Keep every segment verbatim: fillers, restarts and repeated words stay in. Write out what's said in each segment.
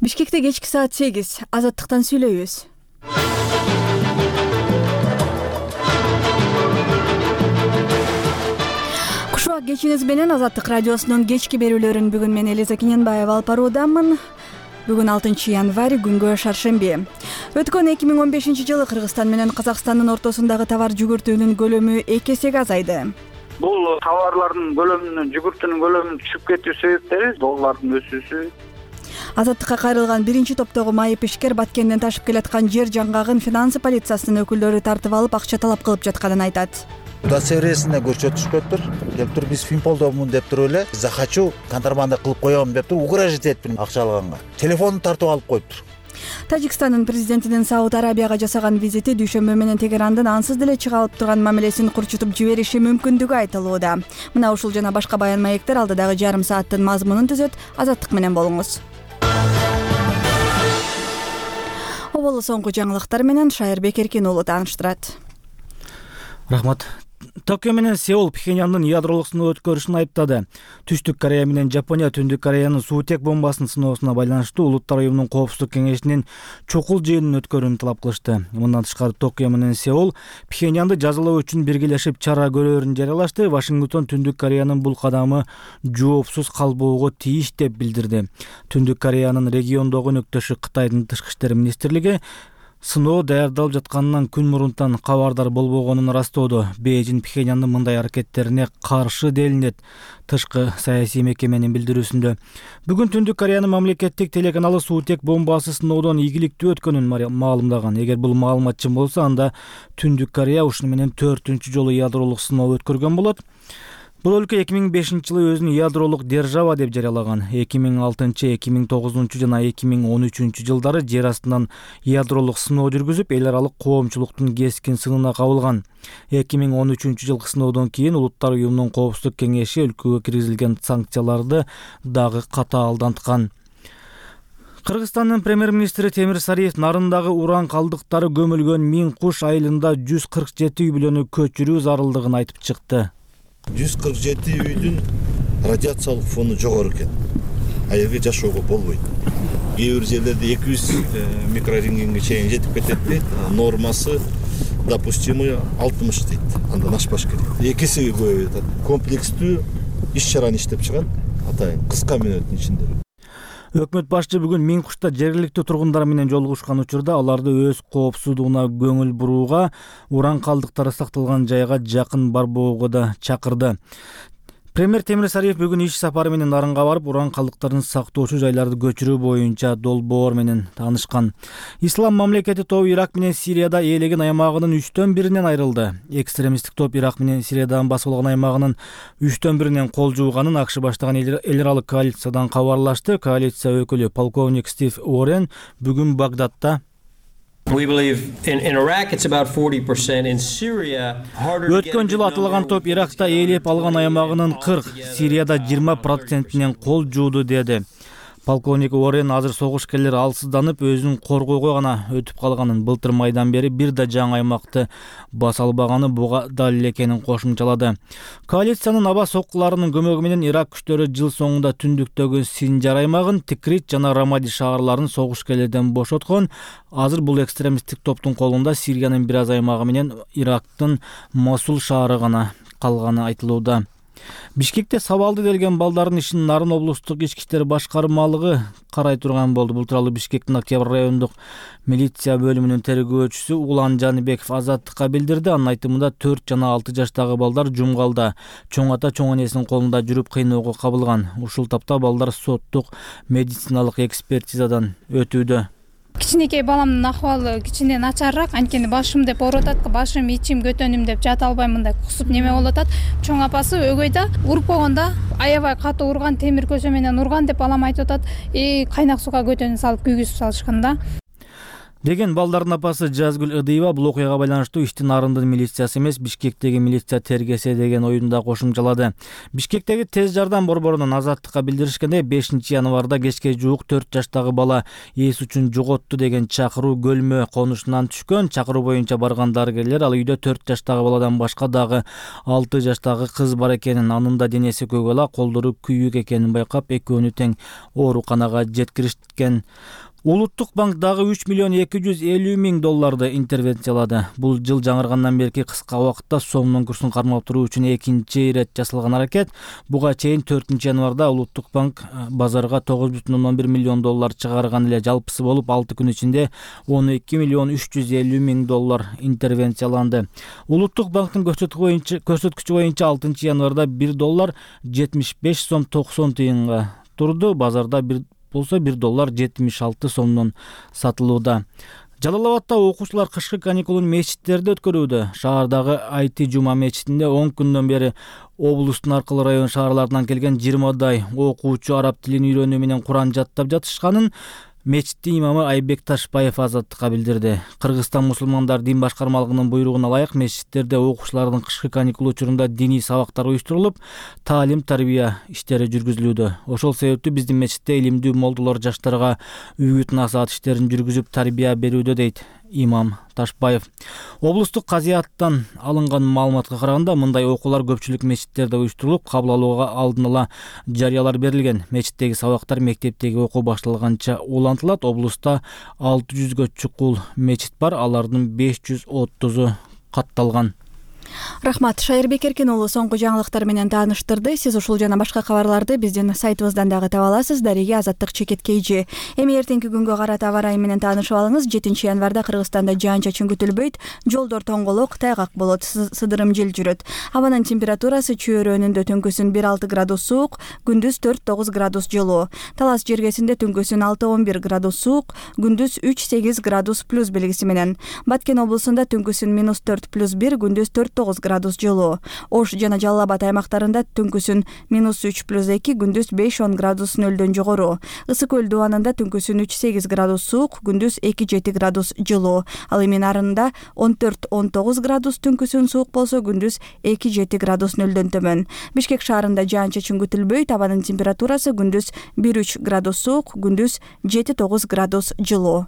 Бишкекте кечки саат сегиз. Азаттыктан сүйлөйбүз. Кушубак кечиңиз менен Азаттык радиосунун кечки берүүлөрүн бүгүн мен Элиза Кененбаева алып баруудамын. Бүгүн алтынчы январь, күнгө шаршемби. Өткөн эки миң он бешинчи жылы Кыргызстан менен Казакстандын ортосундагы товар жүгүртүүнүн көлөмү эки эсеге азайды. Бул товарлардын көлөмүнүн, жүгүртүүнүн көлөмүнүн түшүп кетүү себептери доллардын өсүүсү. Азаттыкка кайрылган биринчи топтогу майып ишкер Баткенден ташып келаткан жер жаңгагын финансы полициясынын өкүлдөрү тартып алып, акча талап кылып жатканын айтат. Удостоверениесине көрсөтүшкөптүр. Келип туруп биз Финполдомун деп туруп эле захочу контрабанда кылып коем деп туруп угрожать этиптир акча алганга. Телефонун тартып алып коюптур. Тажикстандын президентинин Сауд Арабияга жасаган визити Дүйшөмбү менен Тегерандын ансыз деле чыга алып турган мамилесин курчутуп жибериши мүмкүндүгү айтылууда. Мына ушул жана башка баян маектер алдыдагы жарым сааттын мазмунун түзөт. Азаттык менен болуңуз. Оболу соңку жаңылыктар менен Шайырбек Эркин уулу тааныштырат. Рахмат. Токио менен Сеул Пхеньяндын ядролук сыноо өткөрүшүн айыптады. Түштүк Корея менен Жапония Түндүк Кореянын суутек бомбасынын сыноосуна байланыштуу Улуттар уюмунун коопсуздук кеңешинин чукул жыйынын өткөрүүнү талап кылышты. Мындан тышкары Токио менен Сеул Пхеньянды жазалоо үчүн биргелешип чара көрөөрүн жарыялашты. Вашингтон Түндүк Кореянын бул кадамы жоопсуз калбоого тийиш деп билдирди. Түндүк Кореянын региондогу өнөктөшү Кытайдын тышкы иштер министрлиги сыноо даярдалып жатканынан күн мурунтан кабардар болбогонун ырастоодо. Бейжин Пхеньяндын мындай аракеттерине каршы делинет. Тышкы саясий мекеменин билдирүүсүндө бүгүн Түндүк Кореянын мамлекеттик телеканалы суутек бомбасы сыноодон ийгиликтүү өткөнүн маалымдаган. Эгер бул маалымат чын болсо, анда Түндүк Корея ушуну менен төртүнчү жолу ядролук сыноо өткөргөн болот. Бул өлкө эки миң бешинчи жылы өзүн ядролук держава деп жарыялаган. эки миң алтынчы, эки миң тогузунчу жана эки миң он үчүнчү жылдары жер астынан ядролук сыноо жүргүзүп, эл аралык коомчулуктун кескин сынына кабылган. эки миң он үчүнчү жылкы сыноодон кийин Улуттар уюмунун коопсуздук кеңеши өлкөгө киргизилген санкцияларды дагы катаалданткан. Кыргызстандын премьер-министри Темир Сариев Нарындагы уран калдыктары көмүлгөн Миң Куш айылында жүз кырк жети үй бүлөнү көчүрүү зарылдыгын айтып чыкты. жүз кырк жети үйдүн радиациялык фону жогору экен. А жерге жашоого болбойт. Кээ бир жерлерде эки жүз микрорентгенге чейин жетип кетет дейт. Нормасы допустимый алтымыш дейт. Андан ашпаш керек. эки эсеге көбөйүп атат. Комплекстүү иш чараны иштеп чыгат. Атайын кыска мүнөттүн ичинде. Өкмөт башчы бүгүн Миң Кушта жергиликтүү тургундар менен жолугушкан учурда аларды өз коопсуздугуна көңүл бурууга, уран калдыктары сакталган жайга жакын барбоого да чакырды. Премьер Темир Сариев бүгүн иш сапары менен Нарынга барып, уран калдыктарын сактоочу жайларды көчүрүү боюнча долбоор менен таанышкан. Ислам мамлекети тобу Ирак менен Сирияда ээлеген аймагынын үчтөн биринен айрылды. Экстремисттик топ Ирак менен Сириядан басып алган аймагынын үчтөн биринен кол жууганын АКШ баштаган эл аралык коалициядан кабарлашты. Коалиция өкүлү полковник Стив Уоррен бүгүн Багдадта Өткөн жылы атылган топ Иракта ээлеп алган аймагынын кырк, Сирияда жыйырма процентинен кол жууду деди. Полковник Уоррен азыр согушкерлер алсызданып, өзүн коргоого гана өтүп калганын, былтыр майдан бери бир да жаңы аймакты баса албаганы буга далил экенин кошумчалады. Коалициянын аба соккуларынын көмөгү менен Ирак күчтөрү жыл соңунда түндүктөгү Синжар аймагын, Тикрит жана Рамади шаарларын согушкерлерден бошоткон. Азыр бул экстремисттик топтун колунда Сириянын бир аз аймагы менен Ирактын Мосул шаары гана калганы айтылууда. Бишкекте сабалды делген балдардын ишин Нарын облустук ички иштер башкармалыгы карай турган болду. Бул тууралуу Бишкектин Октябрь райондук милиция бөлүмүнүн тергөөчүсү Улан Жаныбеков Азаттыкка билдирди. Анын айтымында төрт жана алты жаштагы балдар жумгалда, чоң ата чоң энесинин колунда жүрүп кыйноого кабылган. Ушул тапта балдар соттук медициналык экспертизадан өтүүдө. Кичинекей баламдын акыбалы кичине начарыраак, анткени башым деп ооруп атат, башым, ичим, көтөнүм деп жата албайм, мындай кусуп неме болуп атат. Чоң апасы өгөйдө уруп койгондо аябай катуу урган, темир көчө менен урган деп балам айтып атат. И кайнак сууга көтөнү салып күйгүзүп салышкан да. деген балдардын апасы Жазгүл Ыдыева бул окуяга байланыштуу ишти Нарындын милициясы эмес, Бишкектеги милиция тергесе деген оюн да кошумчалады. Бишкектеги тез жардам борборунун Азаттыкка билдиришкенде бешинчи январда кечке жуук төрт жаштагы бала эс үчүн жоготту деген чакыруу Көлмө конушунан түшкөн. Чакыруу боюнча барган дарыгерлер ал үйдө төрт жаштагы баладан башка дагы алты жаштагы кыз бар экенин, анын да денеси көгала, колдору күйүк экенин байкап, экөөнү тең ооруканага жеткиришкен. Улуттук банк дагы үч миллион эки жүз элүү миң долларды интервенциялады. Бул жыл жаңыргандан берки кыска убакытта сомдун курсун кармап туруу үчүн экинчи ирет жасалган аракет. Буга чейин төртүнчү январда Улуттук банк базарга тогуз бүтүн ондон бир миллион доллар чыгарган эле. Жалпысы болуп алты күн ичинде он эки миллион үч жүз элүү миң доллар интервенцияланды. Улуттук банктын көрсөткүчү боюнча алтынчы январда бир доллар жетимиш беш сом токсон тыйынга турду. Базарда бир болсо бир доллар жетимиш алты сомдон сатылууда. Жалал-Абадда окуучулар кышкы каникулун мечиттерде өткөрүүдө. Шаардагы Айти Жума мечитинде он күндөн бери облустун аркылуу район шаарларынан келген жыйырмадай окуучу араб тилин үйрөнүү менен Куран жаттап жатышканын мечиттин имамы Айбек Ташбаев Азаттыкка билдирди. Кыргызстан мусулмандар дин башкармалыгынын буйругуна ылайык мечиттерде окуучулардын кышкы каникул учурунда диний сабактар уюштурулуп, таалим-тарбия иштери жүргүзүлүүдө. Ошол себептүү биздин мечитте илимдүү молдолор жаштарга үгүт-насаат иштерин жүргүзүп тарбия берүүдө, дейт имам Ташбаев. Облустук казыяттан алынган маалыматка караганда мындай окуулар көпчүлүк мечиттерде уюштурулуп, кабыл алууга алдын ала жарыялар берилген. Мечиттеги сабактар мектептеги окуу башталганча улантылат. Облуста алты жүзгө чукул мечит бар, алардын беш жүз отузу катталган. Рахмат, Шайырбек Эркин уулу соңку жаңылыктар менен тааныштырды. Сиз ушул жана башка кабарларды биздин сайтыбыздан дагы таба аласыз. Дареге Азаттык чекет кейжи. Эми эртеңки күнгө карата аба ырайы менен таанышып алыңыз. жетинчи январда Кыргызстанда жаан-чачын күтүлбөйт. Жолдор тоңголок, тайгак болот, сыдырым жел жүрөт. Абанын температурасы чөйрөнүндө түнкүсүн бир алты градус суук, күндүз төрт тогуз градус жылуу. Талас жергесинде түнкүсүн алты он бир градус суук, күндүз үч сегиз градус плюс белгиси менен. Баткен облусунда түнкүсүн минус төрт плюс бир, күндүз төрт тогуз градус жылуу. Ош жана Жалал-Абад аймактарында түнкүсүн минус үч плюс эки, күндүз беш он градус нөлдөн жогору. Ысык көл дубанында түнкүсүн үч сегиз градус суук, күндүз эки жети градус жылуу. Ал эми нарында он төрт он тогуз градус түнкүсүн суук болсо, күндүз эки жети градус нөлдөн төмөн. Бишкек шаарында жаан-чачын күтүлбөйт. Абанын температурасы күндүз бир үч градус суук, күндүз жети тогуз градус жылуу.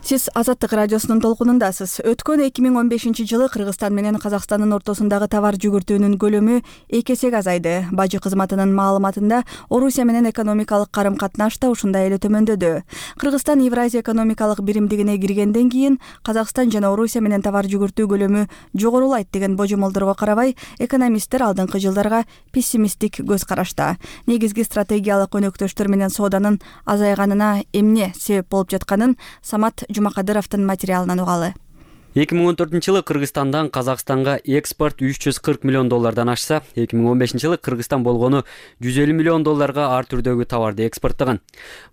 Сиз Азаттык радиосунун толкунундасыз. Өткөн эки миң он бешинчи жылы Кыргызстан менен Казакстандын ортосундагы товар жүгүртүүнүн көлөмү эки эсеге азайды. Бажы кызматынын маалыматында Орусия менен экономикалык карым-катнаш да ушундай эле төмөндөдү. Кыргызстан Евразия экономикалык биримдигине киргенден кийин Казакстан жана Орусия менен товар жүгүртүү көлөмү жогорулайт деген божомолдорго карабай, экономисттер алдыңкы жылдарга пессимисттик көз карашта. Негизги стратегиялык өнөктөштөр менен сооданын азайганына эмне себеп болуп жатканын Самат Жумакадыровдун материалынан угалы. эки миң он төртүнчү жылы Кыргызстандан Казакстанга экспорт үч жүз кырк миллион доллардан ашса, эки миң он бешинчи жылы Кыргызстан болгону жүз элүү миллион долларга ар түрдөгү товарды экспорттогон.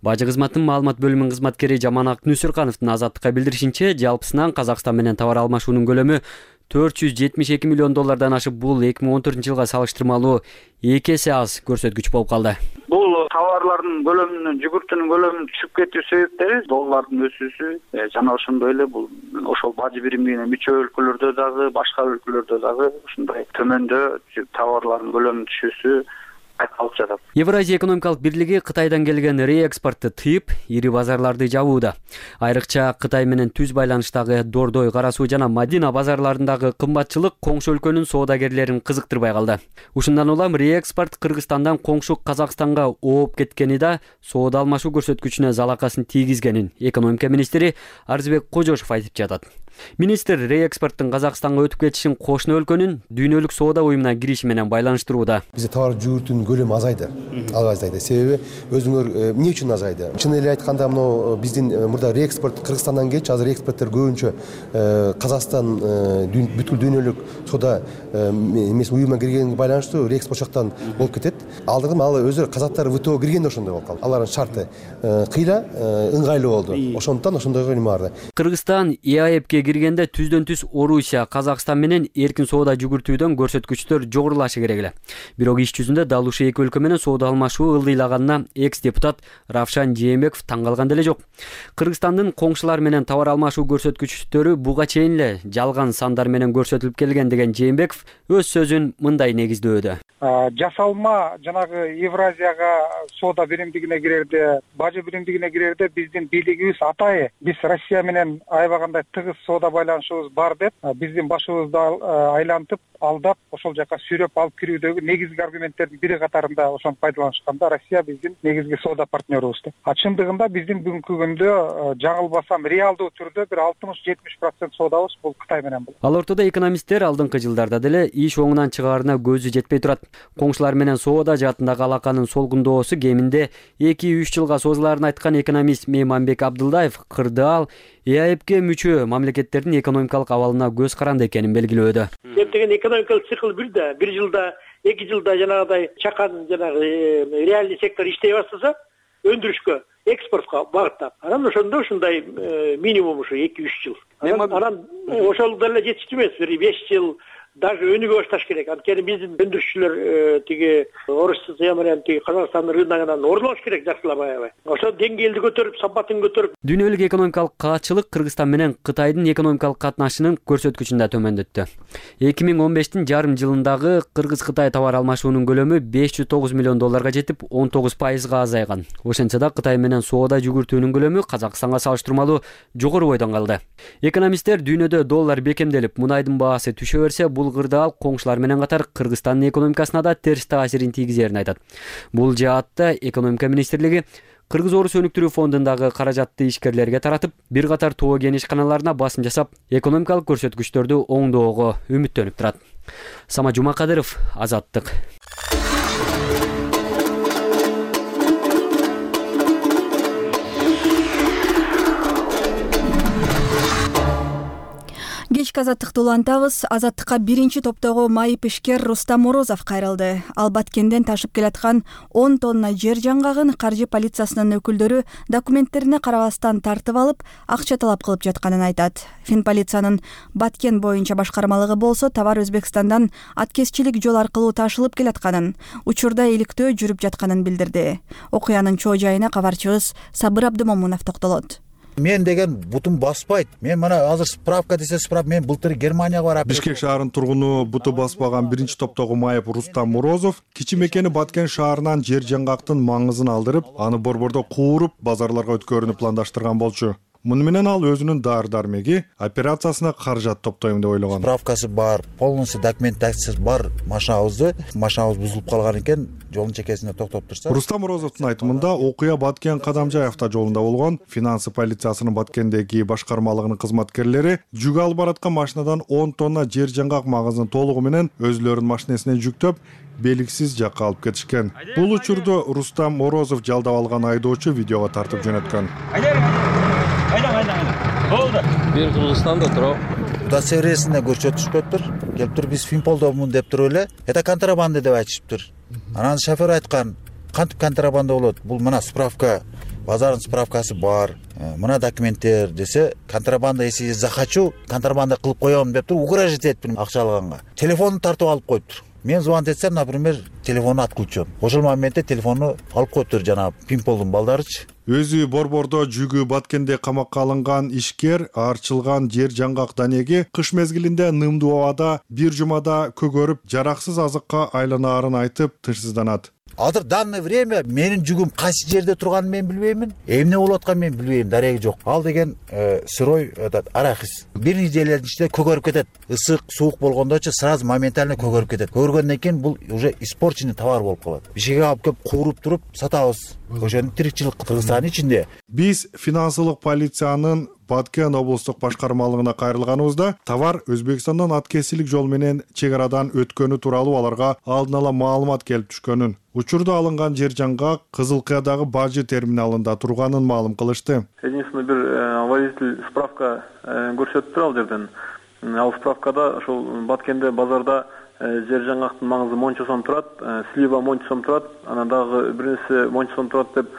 Бажы кызматынын маалымат бөлүмүнүн кызматкери Жаманак Нүсүркановдун Азаттыкка билдиришинче, жалпысынан Казакстан менен товар алмашуунун көлөмү төрт жүз жетимиш эки миллион доллардан ашып, бул эки миң он төртүнчү жылга салыштырмалуу эки эсе аз көрсөткүч болуп калды. Бул товарлардын көлөмүнүн, жүгүртүүнүн көлөмүнүн түшүп кетүү себептери доллардын өсүүсү жана ошондой эле бул ошол бажы биримдигине мүчө өлкөлөрдө дагы, башка өлкөлөрдө дагы ушундай төмөндө товарлардын көлөмүнүн түшүүсү кайталып жатат. Евразия экономикалык бирлиги Кытайдан келген реэкспортты тыйып, ири базарларды жабууда. Айрыкча Кытай менен түз байланыштагы Дордой, Кара Суу жана Мадина базарларындагы кымбатчылык коңшу өлкөнүн соодагерлерин кызыктырбай калды. Ушундан улам реэкспорт Кыргызстандан коңшу Казакстанга ооп кеткени да соода алмашуу көрсөткүчүнө залакасын тийгизгенин экономика министри Арзыбек Кожошов айтып жатат. Министр реэкспорттун Казакстанга өтүп кетишин кошуна өлкөнүн дүйнөлүк соода уюмуна кириши менен байланыштырууда. Бизде товар жүгүртүүнүн көлөмү азайды. Алга азайды. Себеби өзүңөр эмне үчүн азайды? Чын эле айтканда, мына биздин мурда реэкспорт Кыргызстандан келчү, азыр экспорттор көбүнчө Казакстан бүткүл дүйнөлүк соода эмес уюмуна киргенге байланыштуу реэкспорт жактан болуп кетет. Алдыргы ал өзү казактар ВТО киргенде ошондой болуп калды. Алардын шарты кыйла, ыңгайлуу болду. Ошондуктан ошондой нема барды. Кыргызстан ИАЭПке июньге киргенде түздөн түз Орусия, Казакстан менен эркин соода жүгүртүүдөн көрсөткүчтөр жогорулашы керек эле. Бирок иш жүзүндө дал ушул эки өлкө менен соода алмашуу ылдыйлаганына экс-депутат Равшан Жээнбеков таң калган деле жок. Кыргызстандын коңшулар менен товар алмашуу көрсөткүчтөрү буга чейин эле жалган сандар менен көрсөтүлүп келген деген Жээнбеков өз сөзүн мындай негиздөөдө. Жасалма жанагы Евразияга соода биримдигине кирерде, бажы биримдигине кирерде биздин бийлигибиз атайы биз Россия менен аябагандай тыгыз соода байланышыбыз бар деп биздин башыбызды айлантып, алдап, ошол жака сүйрөп алып кирүүдөгү негизги аргументтердин бири катарында ошону пайдаланышканда Россия биздин негизги соода партнерубуз деп. А чындыгында биздин бүгүнкү күндө жаңылбасам реалдуу түрдө бир алтымыш жетимиш процент соодабыз бул Кытай менен болот. Ал ортодо экономисттер алдыңкы жылдарда деле иш оңунан чыгаарына көзү жетпей турат. Коңшулар менен соода жаатындагы алаканын солгундоосу кеминде эки үч жылга созулаарын айткан экономист Мейманбек Абдылдаев кырдаал Е А Эпке мүчө мамлекеттердин экономикалык абалына көз каранды экенин белгилөөдө. Эптеген экономикалык цикл бир да, бир жылда, эки жылда жанагыдай чакан жанагы реальный сектор иштей баштаса, өндүрүшкө, экспортко багыттап. Анан ошондо ушундай минимум ушу эки үч жыл. Анан ошол деле жетиштүү эмес, бир беш жыл даже өнүгө башташ керек. Анткени биздин өндүрүшчүлөр тиги Орусия менен тиги Казакстандын рыногунан орун алыш керек жакшылап аябай. Ошо деңгээлди көтөрүп, сапатын көтөрүп. Дүйнөлүк экономикалык каатчылык Кыргызстан менен Кытайдын экономикалык катнашынын көрсөткүчүн да төмөндөттү. эки миң он бештин жарым жылындагы Кыргыз-Кытай товар алмашуунун көлөмү беш жүз тогуз миллион долларга жетип, он тогуз пайызга азайган. Ошентсе да Кытай менен соода жүгүртүүнүн көлөмү Казакстанга салыштырмалуу жогору бойдон калды. Экономисттер дүйнөдө доллар бекемделип, мунайдын баасы түшө берсе, бул кырдаал коңшулар менен катар Кыргызстандын экономикасына да терс таасирин тийгизерин айтат. Бул жаатта экономика министрлиги Кыргыз-Орус өнүктүрүү фондундагы каражатты ишкерлерге таратып, бир катар тоо кен ишканаларына басым жасап, экономикалык көрсөткүчтөрдү оңдоого үмүттөнүп турат. Сама Жумакадыров, Азаттык. Кечки азаттыкты улантабыз. Азаттыкка биринчи топтогу майып ишкер Рустам Морозов кайрылды. Ал Баткенден ташып келаткан он тонна жер жаңгагын каржы полициясынын өкүлдөрү документтерине карабастан тартып алып, акча талап кылып жатканын айтат. Финполициянын Баткен боюнча башкармалыгы болсо товар Өзбекстандан аткезчилик жол аркылуу ташылып келатканын, учурда иликтөө жүрүп жатканын билдирди. Окуянын чоо жайына кабарчыбыз Сабыр Абдымомунов токтолот. Мен деген бутум баспайт. Мен мына азыр справка десе справка, мен былтыр Германияга барып. Бишкек шаарынын тургуну буту баспаган биринчи топтогу майып Рустам Морозов кичи мекени Баткен шаарынан жер жаңгактын маңызын алдырып, аны борбордо кууруп, базарларга өткөрүүнү пландаштырган болчу. Муну менен ал өзүнүн дары-дармеги операциясына каражат топтойм деп ойлогон. Справкасы бар, полностью документациясы бар машинабызды, машинабыз бузулуп калган экен, жолдун чекесинде токтоп турса. Рустам Морозовдун айтымында окуя Баткен Кадамжай автожолунда болгон. Финансы полициясынын Баткендеги башкармалыгынын кызматкерлери жүк алып бараткан машинадан он тонна жер жаңгак маңызын толугу менен өзүлөрүнүн машинесине жүктөп, белгисиз жакка алып кетишкен. Бул учурду Рустам Морозов жалдап алган айдоочу видеого тартып жөнөткөн. Айдан, айдан, айдан. Болду. Мен Кыргызстанда турам. Удостоверениесинде көрсөтүшпөптүр. Келиптир, биз Финполдомун деп туруп эле, это контрабанда деп айтышыптыр. Анан шофер айткан, кантип контрабанда болот? Бул мына справка, базардын справкасы бар. Мына документтер десе, контрабанда если захочу, контрабанда кылып коем деп туруп угрожать этиптир акча алганга. Телефонун тартып алып коюптур. Мен звонить этсем, например, телефону отключен. Ошол моментте телефону алып коюптур жана Финполдун балдарычы. Өзү борбордо жүгү Баткенде камакка алынган ишкер арчылган жер жаңгак данеги кыш мезгилинде нымдуу абада бир жумада көгөрүп, жараксыз азыкка айланаарын айтып тынчсызданат. Азыр данное время менин жүгүм кайсы жерде турганын мен билбеймин, эмне болуп атканын мен билбейм, дареги жок. Ал деген сырой этот арахис. Бир нечелердин ичинде көгөрүп кетет. Ысык, суук болгондочу сразу моментально көгөрүп кетет. Көгөргөндөн кийин бул уже испорченный товар болуп калат. Бишкекке алып келип кууруп туруп сатабыз. Ошону тирикчилик Кыргызстандын ичинде. Биз финансылык полициянын Баткен облустук башкармалыгына кайрылганыбызда товар Өзбекстандан аткезчилик жол менен чек арадан өткөнү тууралуу аларга алдын ала маалымат келип түшкөнүн, учурда алынган жер жаңгак Кызылкыядагы бажы терминалында турганын маалым кылышты. Единственный бир водитель справка көрсөттү ал жерден. Ал справкада ошол Баткенде базарда жер жаңгактын маңызы монча сом турат, слива монча сом турат, анан дагы бир нерсе монча сом турат деп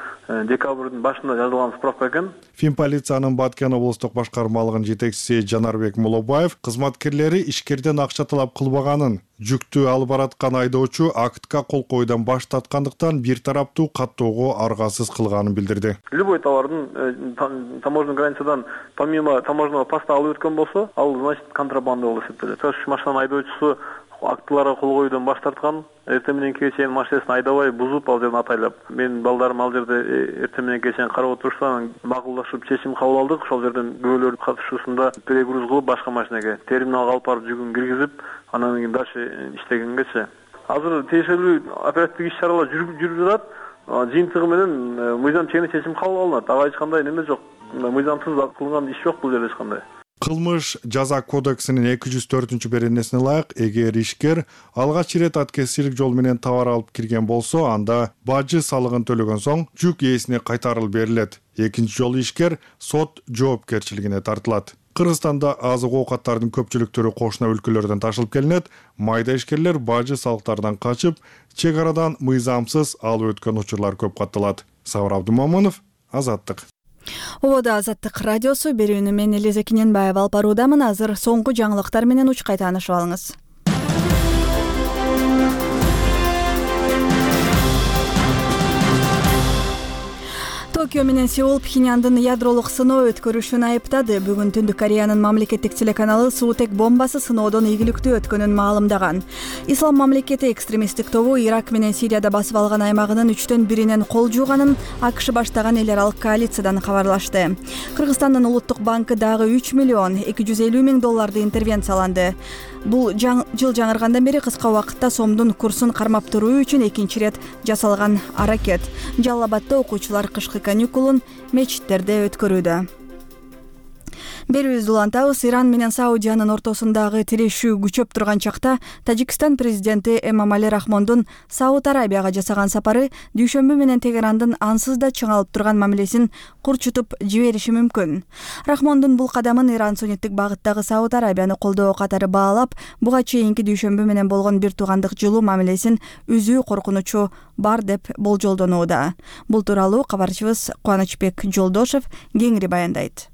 декабрдын башында жазылган справка экен. Финполициянын Баткен облустук башкармалыгынын жетекчиси Жанарбек Мулобаев кызматкерлери ишкерден акча талап кылбаганын, жүктү алып бараткан айдоочу актка кол коюудан баш тарткандыктан бир тараптуу каттоого аргасыз кылганын билдирди. Любой товардын таможенный границадан помимо таможенного поста алып өткөн болсо, ал значит контрабанда болуп эсептелет. Тош машинанын айдоочусу актыларга кол коюудан баш тарткан, эртең мененки чейин машинасын айдабай бузуп ал жерден атайлап. Мен балдарым ал жерде эртең мененки чейин карап отурушса, макулдашып чечим кабыл алдык. Ошол жерден күбөлөрдүн катышуусунда перегруз кылып башка машинеге терминалга алып барып жүгүн киргизип, анан кийин дальше иштегенгечи. Азыр тиешелүү оперативдик иш-чаралар жүрүп жатат. Жыйынтыгы менен мыйзам чегинде чечим кабыл алынат. Ага эч кандай неме жок. Мыйзамсыз кылган иш жок бул жерде эч кандай. Кылмыш жаза кодексинин эки жүз төртүнчү беренесине ылайык, эгер ишкер алгач ирет аткезчилик жол менен товар алып кирген болсо, анда бажы салыгын төлөгөн соң жүк ээсине кайтарылып берилет. Экинчи жолу ишкер сот жоопкерчилигине тартылат. Кыргызстанда азык оокаттардын көпчүлүк түрү кошуна өлкөлөрдөн ташылып келинет. Майда ишкерлер бажы салыктардан качып, чек арадан мыйзамсыз алып өткөн учурлар көп катталат. Сабыр Абдумомунов, Азаттык. Обода Азаттык радиосу берүүнү мен Элиза Киненбаева алып баруудамын. Азыр соңку жаңылыктар менен учкай таанышып алыңыз. Токио менен Сеул Пхеньяндын ядролук сыноо өткөрүшүн айыптады. Бүгүн Түндүк Кореянын мамлекеттик телеканалы суутек бомбасы сыноодон ийгиликтүү өткөнүн маалымдаган. Ислам мамлекети экстремисттик тобу Ирак менен Сирияда басып алган аймагынын үчтөн биринен кол жууганын АКШ баштаган эл аралык коалициядан кабарлашты. Кыргызстандын улуттук банкы дагы үч миллион эки жүз элүү миң долларды интервенцияланды. Бул жыл жаңыргандан бери кыска убакытта сомдун курсун кармап туруу үчүн экинчи ирет жасалган аракет. Жалал Абадда окуучулар кышкы каникулун мечиттерде өткөрүүдө. Берүүбүздү улантабыз. Иран менен Саудиянын ортосундагы тирешүү күчөп турган чакта Тажикстан президенти Эмомали Рахмондун Сауд Арабияга жасаган сапары дүйшөмбү менен Тегерандын ансыз да чыңалып турган мамилесин курчутуп жибериши мүмкүн. Рахмондун бул кадамын Иран сунниттик багыттагы Сауд Арабияны колдоо катары баалап, буга чейинки дүйшөмбү менен болгон бир туугандык жылуу мамилесин үзүү коркунучу бар деп болжолдонууда. Бул тууралуу кабарчыбыз Кубанычбек Жолдошев кеңири баяндайт.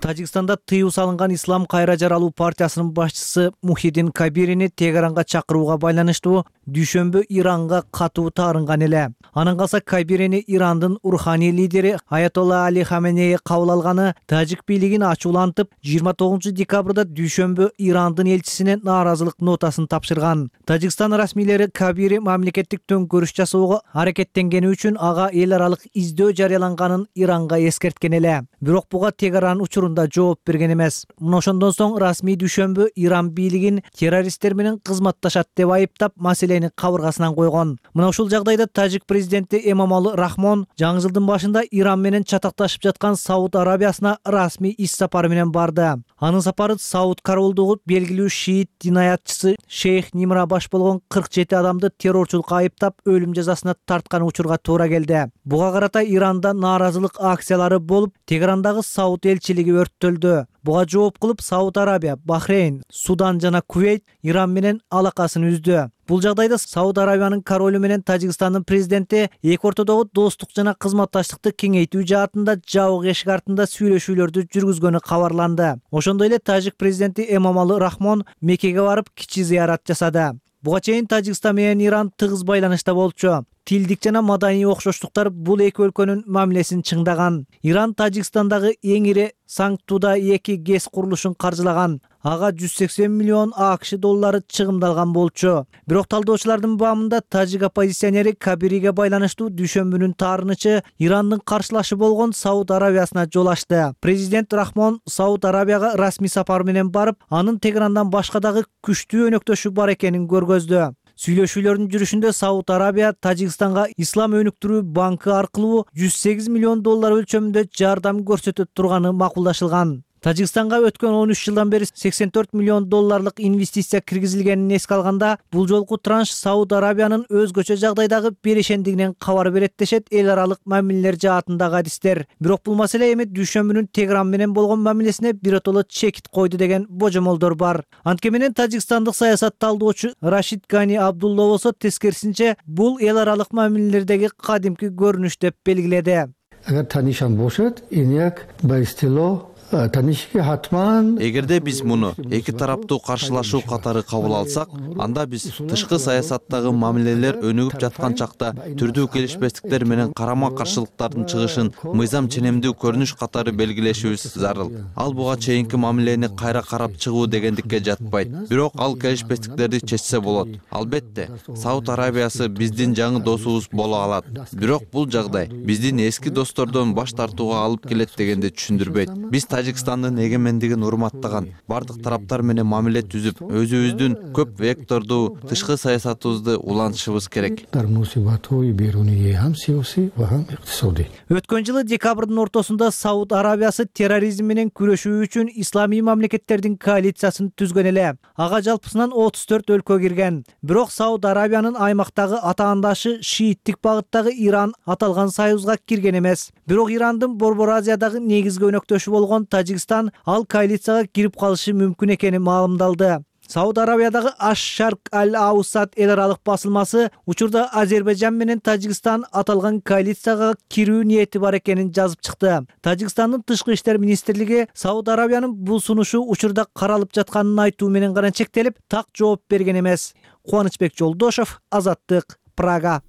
Тажикстанда тыюу салынган Ислам кайра жаралуу партиясынын башчысы Мухиддин Кабирини Тегеранга чакырууга байланыштуу дүйшөмбү Иранга катуу таарынган эле. Анан калса Кабирини Ирандын руханий лидери Аятолла Али Хаменеи кабыл алганы тажик бийлигин ачуулантып, жыйырма тогузунчу декабрда дүйшөмбү Ирандын элчисине нааразылык нотасын тапшырган. Тажикстан расмийлери Кабири мамлекеттик төңкөрүш жасоого аракеттенгени үчүн ага эл аралык издөө жарыяланганын Иранга эскерткен эле. Бирок буга Тегеран учурунда жооп берген эмес. Мына ошондон соң расмий дүйшөмбү Иран бийлигин террористтер менен кызматташат деп айыптап, маселени кабыргасынан койгон. Мына ушул жагдайда тажик президенти Эмомали Рахмон жаңы жылдын башында Иран менен чатакташып жаткан Сауд Арабиясына расмий иш сапары менен барды. Анын сапары Сауд королдугу белгилүү шиит динаятчысы Шейх Нимра баш болгон кырк жети адамды террорчулукка айыптап, өлүм жазасына тарткан учурга туура келди. Буга карата Иранда нааразылык акциялары болуп, Тегерандагы Сауд элчилиги өрттөлдү. Буга жооп кылып Сауд Арабия, Бахрейн, Судан жана Кувейт Иран менен алакасын үздү. Бул жагдайда Сауд Арабиянын королу менен Тажикстандын президенти эки ортодогу достук жана кызматташтыкты кеңейтүү жаатында жабык эшик артында сүйлөшүүлөрдү жүргүзгөнү кабарланды. Ошондой эле тажик президенти Эмомали Рахмон Меккеге барып кичи зыярат жасады. Буга чейин Тажикстан менен Иран тыгыз байланышта болчу. Тилдик жана маданий окшоштуктар бул эки өлкөнүн мамилесин чыңдаган. Иран Тажикстандагы эң ири Санктуда эки гэс курулушун каржылаган. Ага жүз сексен миллион АКШ доллары чыгымдалган болчу. Бирок талдоочулардын баамында тажик оппозиционери Кабириге байланыштуу дүйшөмбүнүн таарынычы Ирандын каршылашы болгон Сауд Арабиясына жол ачты. Президент Рахмон Сауд Арабияга расмий сапар менен барып, анын Тегерандан башка дагы күчтүү өнөктөшү бар экенин көргөздү. Сүйлөшүүлөрдүн жүрүшүндө Сауд Арабия Тажикстанга Ислам өнүктүрүү банкы аркылуу жүз сегиз миллион доллар өлчөмүндө жардам көрсөтө турганы макулдашылган. Тажикстанга өткөн он үч жылдан бери сексен төрт миллион долларлык инвестиция киргизилгенин эске алганда, бул жолку транш Сауд Арабиянын өзгөчө жагдайдагы берешендигинен кабар берет дешет эл аралык мамилелер жаатындагы адистер. Бирок бул маселе эми дүйшөмбүнүн Тегран менен болгон мамилесине биротоло чекит койду деген божомолдор бар. Анткени менен тажикстандык саясат талдоочу Рашид Гани Абдулла болсо тескерисинче бул эл аралык мамилелердеги кадимки көрүнүш деп белгиледи. Agar tanisham bo'lsa, enak ba istilo Эгерде биз муну эки тараптуу каршылашуу катары кабыл алсак, анда биз тышкы саясаттагы мамилелер өнүгүп жаткан чакта түрдүү келишпестиктер менен карама-каршылыктардын чыгышын мыйзам ченемдүү көрүнүш катары белгилешибиз зарыл. Ал буга чейинки мамилени кайра карап чыгуу дегендикке жатпайт. Бирок ал келишпестиктерди чечсе болот. Албетте, Сауд Арабиясы биздин жаңы досубуз боло алат. Бирок бул жагдай биздин эски достордон баш тартууга алып келет дегенди түшүндүрбөйт. Биз Тажикстандын эгемендигин урматтаган, бардык тараптар менен мамиле түзүп, өзүбүздүн көп вектордуу тышкы саясатыбызды улантышыбыз керек. Өткөн жылы декабрдын ортосунда Сауд Арабиясы терроризм менен күрөшүү үчүн исламий мамлекеттердин коалициясын түзгөн эле. Ага жалпысынан отуз төрт өлкө кирген. Бирок Сауд Арабиянын аймактагы атаандашы шииттик багыттагы Иран аталган союзга кирген эмес. Бирок Ирандын Борбор Азиядагы негизги өнөктөшү болгон Тажикстан ал коалицияга кирип калышы мүмкүн экени маалымдалды. Сауд Арабиядагы Аш-Шарк Аль-Аусат эл аралык басылмасы учурда Азербайжан менен Тажикстан аталган коалицияга кирүү ниети бар экенин жазып чыкты. Тажикстандын тышкы иштер министрлиги Сауд Арабиянын бул сунушу учурда каралып жатканын айтуу менен гана чектелип, так жооп берген эмес. Кубанычбек Жолдошов, Азаттык, Прага.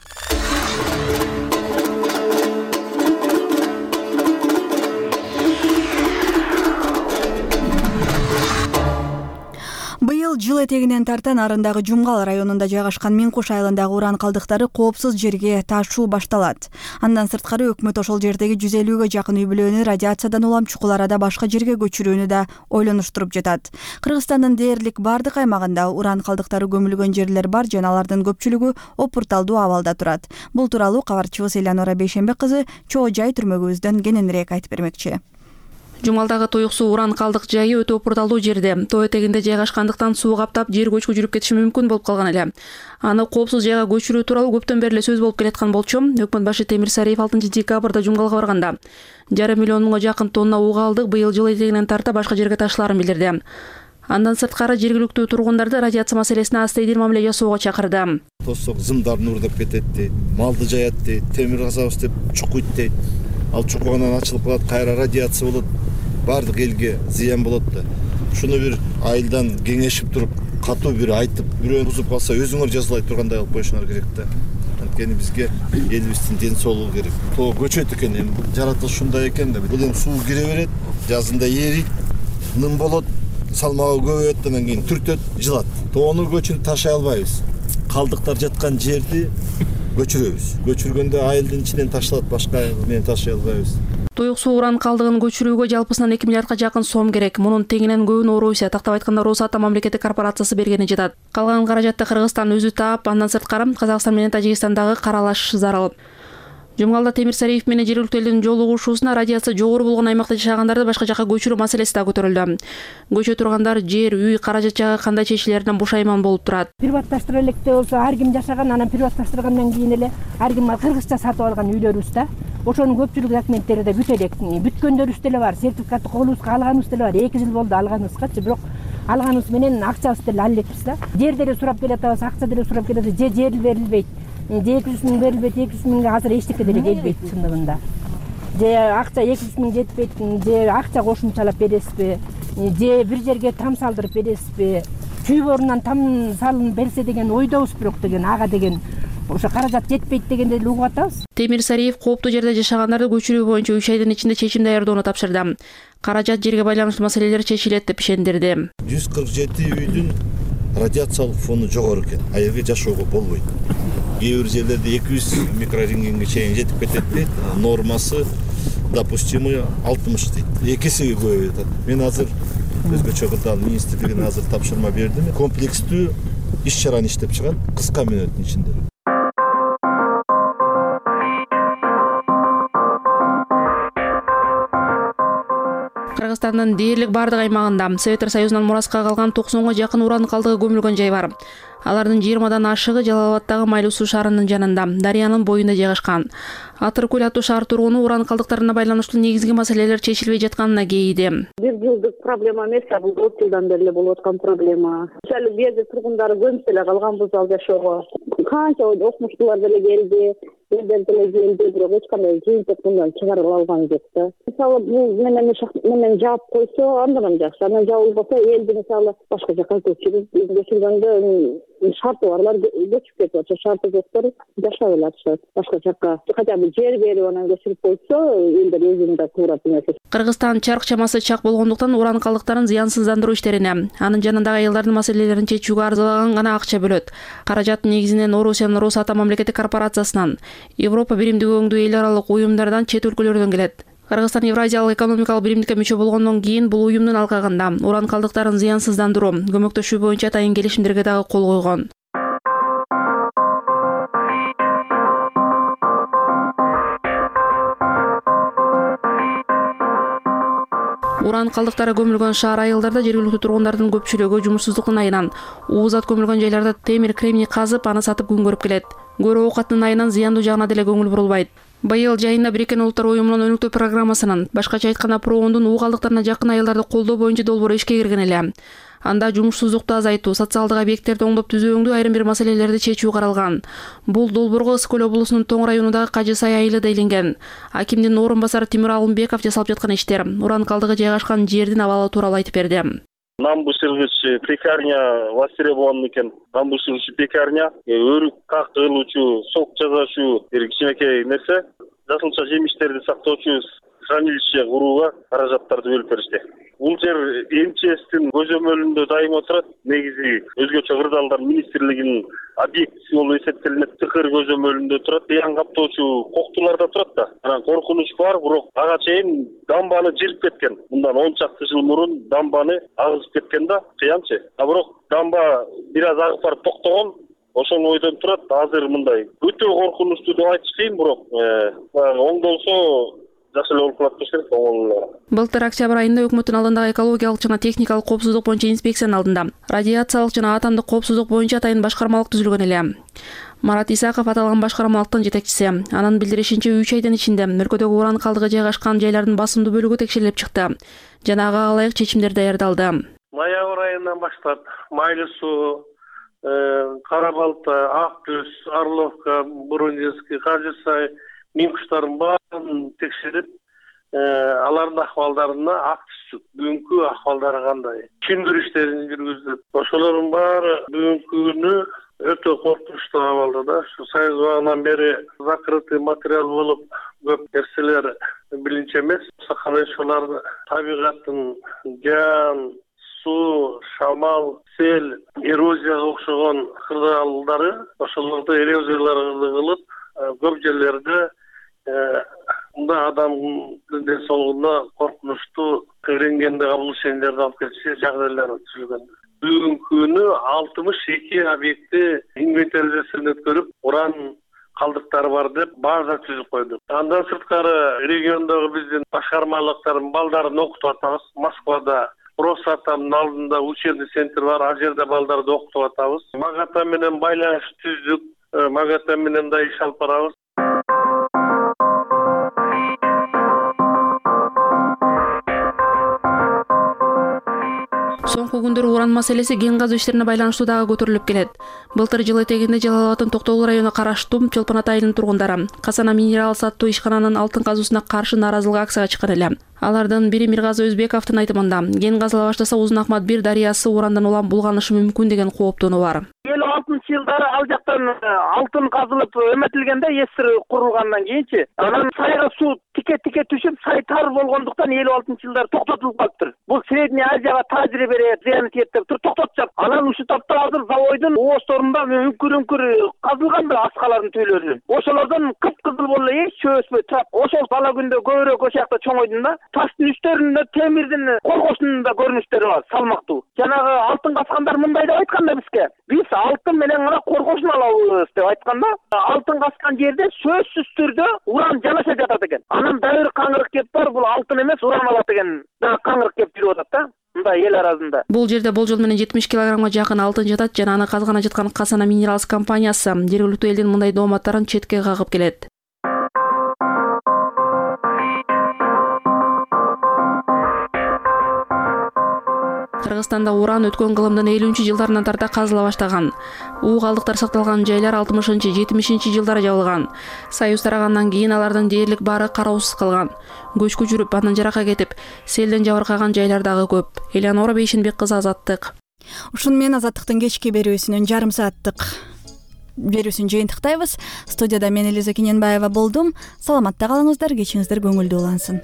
Быйыл жыл этегинен тарта Нарындагы Жумгал районунда жайгашкан Минкуш айылындагы уран калдыктары коопсуз жерге ташуу башталат. Андан сырткары өкмөт ошол жердеги жүз элүүгө жакын үй бүлөнү радиациядан улам чукул арада башка жерге көчүрүүнү да ойлонуштуруп жатат. Кыргызстандын дээрлик бардык аймагында уран калдыктары көмүлгөн жерлер бар жана алардын көпчүлүгү опурталдуу абалда турат. Бул тууралуу кабарчыбыз Элянора Бейшембек кызы Чоо Жай түрмөгүбүздөн кененирээк айтып бермекчи. Жумгалдагы Туюксуу уран калдык жайы өтө опурталдуу жерде. Тоо этегинде жайгашкандыктан суу каптап, жер көчкү жүрүп кетиши мүмкүн болуп калган эле. Аны коопсуз жайга көчүрүү тууралуу көптөн бери эле сөз болуп келаткан болчу. Өкмөт башы Темир Сариев алтынчы декабрда Жумгалга барганда жарым миллионго жакын тонна уу калдык быйыл жыл этегинен тарта башка жерге ташлаарын билдирди. Андан сырткары жергиликтүү тургундарды радиация маселесине астейдир мамиле жасоого чакырды. Тосок зымдарын уурдап кетет дейт, малды жаят дейт, темир казабыз деп чукуйт дейт. Ал чукугандан ачылып калат, кайра радиация болот. Бардык элге зыян болот да. Шуну бир айылдан кеңешип туруп, катуу бир айтып, бирөөнү бузуп калса өзүңөр жазалай тургандай кылып коюшуңар керек да. Анткени бизге элибиздин ден соолугу керек. Тоо көчөт экен, эми жаратылыш ушундай экен да. Бул эми суу кире берет, жазында эрийт, ным болот, салмагы көбөйөт, андан кийин түртөт, жылат. Тоону көчүн ташай албайбыз. Калдыктар жаткан жерди көчүрөбүз. Көчүргөндө айылдын ичинен ташталат, башка айыл менен ташай албайбыз. Туюксуу уран калдыгын көчүрүүгө жалпысынан эки миллиардга жакын сом керек. Мунун теңинен көбүн Орусия, тактап айтканда Росатом мамлекеттик корпорациясы бергени жатат. Калган каражатты Кыргызстан өзү таап, андан сырткары Казакстан менен Тажикстандагы каралаш зарыл. Жумгалда Темир Сариев менен жергиликтүү элдин жолугушуусуна радиация жогору болгон аймакта жашагандарды башка жакка көчүрүү маселеси да көтөрүлдү. Көчө тургандар жер, үй, каражат жагы кандай чечилеринен бушайман болуп турат. Приватташтыра электе болсо ар ким жашаган, анан приватташтыргандан кийин эле ар ким кыргызча сатып алган үйлөрүбүз да. Ошонун көпчүлүк документтери да бүт элек. Бүткөндөрүбүз деле бар, сертификатты колубузга алганыбыз деле бар. эки жыл болду алганыбызгачы, бирок алганыбыз менен акчабызды деле алып элекпиз да. Жер деле сурап келатабыз, акча деле сурап келатабыз, же жер берилбейт. эки жүз миң берилбейт, эки жүз миңге азыр эчтеке деле келбейт чындыгында. Же акча эки жүз миң жетпейт, же акча кошумчалап бересизби, же бир жерге там салдырып бересизби, чүй орунан там салынып берсе деген ойдобуз, бирок деген ага деген ошо каражат жетпейт дегенди эле угуп атабыз. Темир Сариев кооптуу жерде жашагандарды көчүрүү боюнча үч айдын ичинде чечим даярдоону тапшырды. Каражат жерге байланыштуу маселелер чечилет деп ишендирди. жүз кырк жети үйдүн радиациялык фону жогору экен. А жерге жашоого болбойт. Кээ бир жерлерде эки жүз микрорентгенге чейин жетип кетет дейт. Нормасы допустимый алтымыш дейт. Экиси көбөйүп атат. Мен азыр өзгөчө кырдаал министрлигине азыр тапшырма бердим. Комплекстүү иш чараны иштеп чыгат кыска мүнөттүн ичинде. Кыргызстандын дээрлик бардык аймагында Советтер Союзунан мураска калган токсонго жакын уран калдыгы көмүлгөн жай бар. Алардын жыйырмадан ашыгы Жалал Абаддагы Майлуу суу шаарынын жанында, дарыянын боюнда жайгашкан. Атыркөл аттуу шаар тургуну уран калдыктарына байланыштуу негизги маселелер чечилбей жатканына кейиди. Бир жылдык проблема эмес, бул төрт жылдан бери болуп аткан проблема. Мисалы бул жерде тургундары көмүп эле калганбыз ал жашоого. Канча окумуштуулар деле келди, элдер деле келди, бирок эч кандай жыйынтык мындан чыгарып алган жок да. Мисалы бул менен менен жаап койсо андан жакшы, анан жабылбаса элди мисалы башка жака көчүрүп, көчүргөндө шарты барлар көчүп кетип атышат, шарты жоктор жашап эле атышат башка жака. Хотя бы жер берип анан көчүрүп койсо, элдер өзүндө туура эмес. Кыргызстан чарк чамасы чак болгондуктан уран калдыктарын зыянсыздандыруу иштерине, анын жанындагы аялдардын маселелерин чечүүгө арзалаган гана акча бөлөт. Каражат негизинен Орусиянын Росатом мамлекеттик корпорациясынан, Европа биримдиги өңдүү эл аралык уюмдардан, чет өлкөлөрдөн келет. Кыргызстан Евразиялык экономикалык биримдикке мүчө болгондон кийин бул уюмдун алкагында уран калдыктарын зыянсыздандыруу, көмөктөшүү боюнча атайын келишимдерге дагы кол койгон. Уран калдыктары көмүлгөн шаар айылдарда жергиликтүү тургундардын көпчүлүгү жумушсуздуктун айынан уузат көмүлгөн жайларда темир, кремний казып, аны сатып күн көрүп келет. Көрүү оокаттын айынан зыяндуу жагына деле көңүл бурулбайт. Быйыл жайында Бириккен Улуттар уюмунун өнүктүү программасынын, башкача айтканда проондун уу калдыктарына жакын айылдарды колдоо боюнча долбоору ишке кирген эле. Анда жумушсуздукту азайтуу, социалдык объекттерди оңдоп түзүүңдүү айрым бир маселелерди чечүү каралган. Бул долбоорго Ысык Көл облусунун Тоң районундагы Кажы Сай айылы да илинген. Акимдин орун басары Тимир Алымбеков жасалып жаткан иштер уран калдыгы жайгашкан жердин абалы тууралуу айтып берди. Нам бышыргыч пекарня востребован экен. Нам бышыргыч пекарня, өрүк как кылуучу, сок жасашуу, бир кичинекей нерсе. Жасылча жемиштерди сактоочу хранилище курууга каражаттарды бөлүп беришти. Бул жер МЧСтин көзөмөлүндө дайым отурат. Негизи өзгөчө кырдаалдар министрлигинин объектиси болуп эсептелинет. Тыкыр көзөмөлүндө турат. Зыян каптоочу коктуларда турат да. Анан коркунуч бар, бирок ага чейин дамбаны жирип кеткен. Мындан он чакты жыл мурун дамбаны агызып кеткен да, кыянчы. А бирок дамба бир аз агып барып токтогон. Ошол ойдон турат. Азыр мындай өтө коркунучтуу деп айтыш кыйын, бирок оңдолсо жакшы эле болуп калат дешет. Былтыр октябрь айында өкмөттүн алдындагы экологиялык жана техникалык коопсуздук боюнча инспекциянын алдында радиациялык жана атомдук коопсуздук боюнча атайын башкармалык түзүлгөн эле. Марат Исаков аталган башкармалыктын жетекчиси. Анын билдиришинче үч айдын ичинде өлкөдөгү уран калдыгы жайгашкан жайлардын басымдуу бөлүгү текшерилип чыкты. Жана ага ылайык чечимдер даярдалды. Ноябрь айынан баштап Майлуу суу, Кара Балта, Ак Түз, Орловка, Бурундинский, Кажы Сай мин куштарын баарын текшерип, алардын акыбалдарына ак түздүк. Бүгүнкү акыбалдары кандай? Түшүндүрүү иштерин жүргүздүк. Ошолордун баары бүгүнкү күнү өтө коркунучтуу абалда да. Ушу Союз убагынан бери закрытый материал болуп, көп нерселер билинче эмес. Ошолордун табигаттын жан, суу, шамал, сел, эрозияга окшогон кырдаалдары, ошолорду эрозияларды кылып, көп жерлерде мында адамдын ден соолугуна коркунучтуу рентгенде кабыл ишендерди алып келиши жагдайлар түзүлгөн. Бүгүнкү күнү алтымыш эки объектти инвентаризациядан өткөрүп, уран калдыктары бар деп база түзүп койдук. Андан сырткары региондогу биздин башкармалыктардын балдарын окутуп атабыз. Москвада Росатомдун алдында учебный центр бар, ал жерде балдарды окутуп атабыз. Магата менен байланыш түздүк, Магата менен да иш алып барабыз. Соңку күндөрү уран маселеси кен казуу иштерине байланыштуу дагы көтөрүлүп келет. Былтыр жыл этегинде Жалал Абаддын Токтогул районуна караштуу Чолпон Ата айылынын тургундары Касана минерал саттуу ишкананын алтын казуусуна каршы нааразылык акцияга чыккан эле. Алардын бири Миргазы Өзбековдун айтымында, кен казыла баштаса Узун Акмат бир дарыясы урандан улам булганышы мүмкүн деген кооптонуу бар. элүү алтынчы жылдары ал жактан алтын казылып эметилгенде эстер курулгандан кийинчи анан сайга суу тике тике түшүп, сай тар болгондуктан элүү алтынчы жылдары токтотулуп калыптыр. Бул Средний Азияга тажрыйбе зыян тиет деп туруп токтотушат. Анан ушул тапта азыр заводдун оозторунда үңкүр-үңкүр казылган да аскалардын түйлөрү. Ошолордон кып-кызыл болуп эч чөбөспөй турат. Ошол бала күндө көбүрөөк ошол жакта чоңойдум да. Таштын үстөрүндө темирдин коргосунун да көрүнүштөрү бар, салмактуу. Жанагы алтын каскандар мындай деп айткан да бизге. Биз алтын алтын менен гана коргошуна алабыз деп айткан да. Алтын каскан жерде сөзсүз түрдө уран жанаша жатат экен. Анан дагы бир каңырык кеп бар, бул алтын эмес, уран алат деген дагы каңырык кеп жүрүп атат да. Мындай эл арасында. Бул жерде болжол менен жетимиш килограммга жакын алтын жатат жана аны казгана жаткан Касана Minerals компаниясы жергиликтүү элдин мындай дооматтарын четке кагып келет. Кыргызстанда уран өткөн кылымдын элүүнчү жылдарынан тарта казыла баштаган. У калдыктар сакталган жайлар алтымышынчы жетимишинчи жылдары жабылган. Союз тарагандан кийин алардын дээрлик баары кароосуз калган. Көчкү жүрүп, андан жыракка кетип, селден жабыркаган жайлар дагы көп. Элеонора Бейшенбек кызы, Азаттык. Ушуну менен Азаттыктын кечки берүүсүнүн жарым сааттык берүүсүн жыйынтыктайбыз. Студияда мен Элиза Кененбаева болдум. Саламатта калыңыздар, кечиңиздер көңүлдүү улансын.